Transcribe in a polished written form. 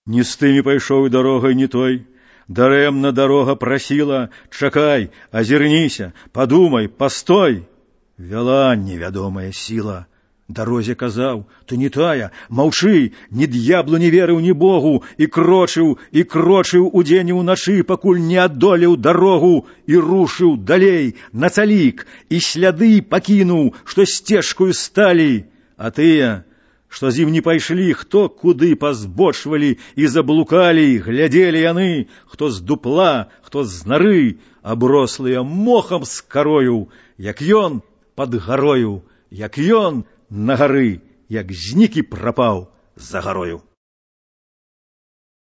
Не з тымі пайшоў дарогай не той. Дарэмна дарога прасіла: чакай, азірніся, падумай, пастой. Вяла невядомая сіла. Дарозе казаў: ты не тая, маўчы, ні д'яблу не верыў, ні Богу, і крочыў удзень і ўначы, пакуль не адолеў дарогу, і рушыў далей, на цалік, і сляды пакінуў, што сцежкаю сталі. А тыя, што з ім не пайшлі, хто куды пазбочвалі і заблукалі, глядзелі яны, хто з дупла, хто з нары, аброслыя мохам з карою, як ён пад гарою, як ён на гары, як знік і прапаў за гарою.